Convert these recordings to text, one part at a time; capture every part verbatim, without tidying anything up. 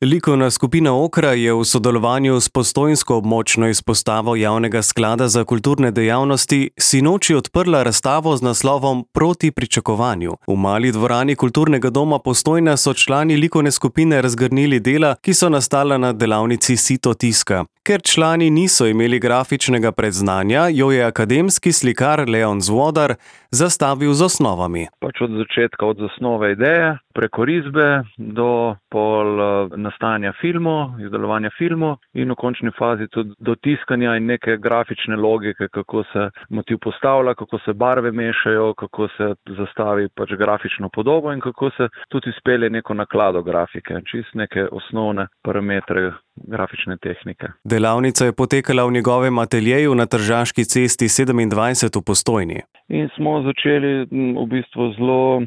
Likovna skupina Okra je v sodelovanju s postojnsko območno izpostavo Javnega sklada za kulturne dejavnosti sinoči odprla razstavo z naslovom Proti pričakovanju. V mali dvorani Kulturnega doma Postojna so člani likovne skupine razgrnili dela, ki so nastala na delavnici Sito tiska. Ker člani niso imeli grafičnega predznanja, jo je akademski slikar Leon Zvodar zastavil z osnovami. Pač od začetka, od zasnove ideje, preko risbe do pol nastajanja filmov, izdelovanja filmov in v končni fazi tudi do tiskanja in neke grafične logike, kako se motiv postavlja, kako se barve mešajo, kako se zastavi pač grafično podobo in kako se tudi izpelje neko naklado grafike, čist neke osnovne parametre grafične tehnike. Delavnica je potekala v njegovem ateljeju na Tržaški cesti sedemindvajset v Postojni. In smo začeli v bistvu zelo,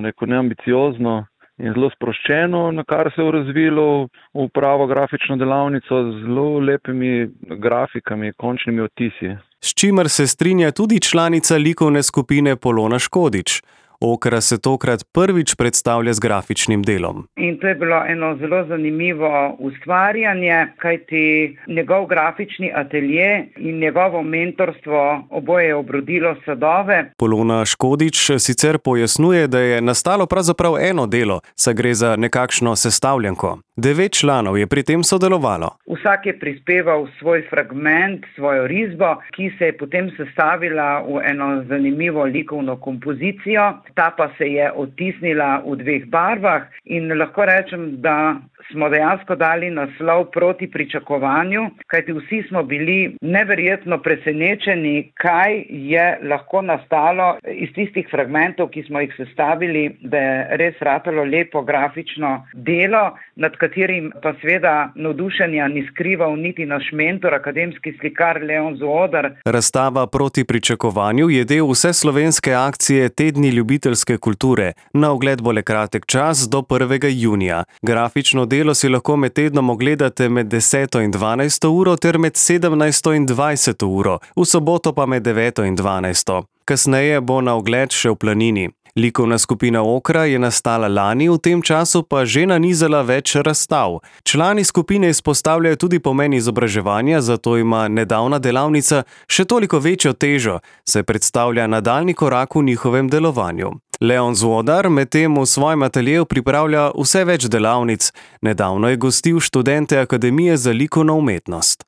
rekel, neambiciozno in zelo sproščeno, na kar se je razvilo v pravo grafično delavnico z zelo lepimi grafikami, končnimi odtisi. S čimer se strinja tudi članica likovne skupine Polona Škodič. Okra se tokrat prvič predstavlja z grafičnim delom. In to je bilo eno zelo zanimivo ustvarjanje, kajti njegov grafični atelje in njegovo mentorstvo oboje je obrodilo sadove. Polona Škodič sicer pojasnjuje, da je nastalo pravzaprav eno delo, saj gre za nekakšno sestavljanko. Devet članov je pri tem sodelovalo. Vsak je prispeval svoj fragment, svojo risbo, ki se je potem sestavila v eno zanimivo likovno kompozicijo. Ta pa se je odtisnila v dveh barvah in lahko rečem, da smo dejansko dali naslov Proti pričakovanju, kajti vsi smo bili neverjetno presenečeni, kaj je lahko nastalo iz tistih fragmentov, ki smo jih sestavili, da je res ratalo lepo grafično delo, nad katerim pa seveda navdušenja ni skrival niti naš mentor, akademski slikar Leon Zvodar. Razstava Proti pričakovanju je del vseslovenske akcije Tedni ljubiteljske kulture. Na ogled bo le kratek čas do prvega junija. Grafično delo si lahko med tednom ogledate med deseto in dvanajsto uro ter med sedemnajsto in dvajseto uro, v soboto pa med deveto in dvanajsto. Kasneje bo na ogled še v Planini. Likovna skupina Okra je nastala lani, v tem času pa že nanizala več razstav. Člani skupine izpostavljajo tudi pomen izobraževanja, zato ima nedavna delavnica še toliko večjo težo, saj predstavlja nadaljnji korak v njihovem delovanju. Leon Zvodar medtem v svojem ateljeju pripravlja vse več delavnic. Nedavno je gostil študente Akademije za likovno umetnost.